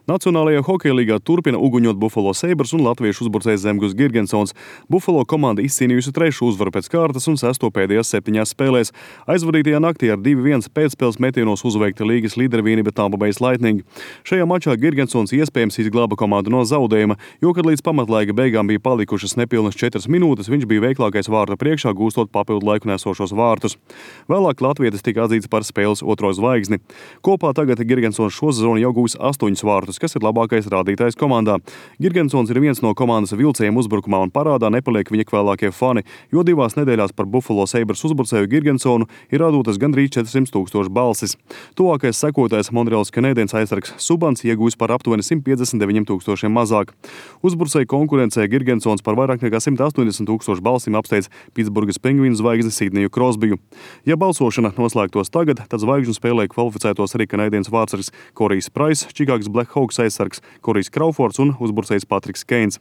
Nacionālajā hokeja līgā turpina uguņot Buffalo Sabres un latviešu uzbrucējs Zemgus Girgensons. Buffalo komanda izcīnījusi 3. uzvaru pēc kārtas un 6. pēdējās 7 spēlēs. Aizvadītajā naktī ar 2-1 pēcspēles metienos uzveikta līgas līdervienība Tampa Bay Lightning. Šajā mačā Girgensons iespējams izglāba komandu no zaudējuma, jo, kad līdz pamatlaika beigām bija palikušas nepilnas 4 minūtes, viņš bija veiklākais vārta priekšā, gūstot papildu laiku nesošos vārtus. Vēlāk latvietis tika atzīts par spēles otro zvaigzni. Kopā tagad Girgensons šo sezonu jau gūs 8 vārtus, kas ir labākais rādītājs komandā. Girgensons ir viens no komandas vilcējiem uzbrukumā un parādā nepaliek viņa kvēlākie fani, jo 2 nedēļās par Buffalo Sabres uzbrucēju Girgensonu ir radotas gandrīz 400,000 balsis. Tuvākais sekotājs Montreals Canadiens aizsargs Subans iegūs par aptuveni 159,000 mazāk. Uzbrucēju konkurencē Girgensons par vairāk nekā 180,000 balsīm apsteidz Pitsburgas Penguīnu zvaigzni Sidneju Krosbiju. Ja balsošana noslēgtos tagad, tad zvaigžņu spēlē kvalificētos arī Canadiens vārtsargs Korijs Prais, Čikāgas Blackhawks aizsargs Korijs Kraufords un uzbrucējs Patriks Keins.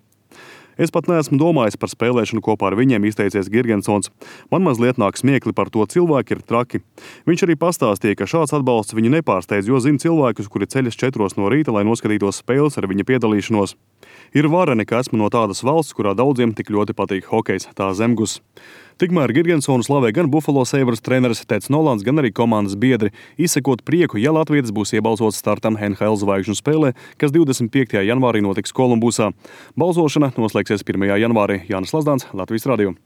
Es pat neesmu domājis par spēlēšanu kopā ar viņiem, izteicies Girgensons. Man mazliet nāk smiekli, par to cilvēki ir traki. Viņš arī pastāstīja, ka šāds atbalsts viņu nepārsteidz, jo zina cilvēkus, kuri ceļas 4 no rīta, lai noskatītos spēles ar viņa piedalīšanos. Ir vareni, ka esmu no tādas valsts, kurā daudziem tik ļoti patīk hokejs, tā Zemgus. Tikmēr Girgensonu slavē gan Buffalo Sabres treneris Teds Nolans, gan arī komandas biedri, izsekot prieku, ja latvietis būs iebalsots startam NHL zvaigžņu spēlē, kas 25. janvārī notiks Kolumbusā. Balsošana noslēgsies 1. janvārī. Jānis Lazdāns, Latvijas radio.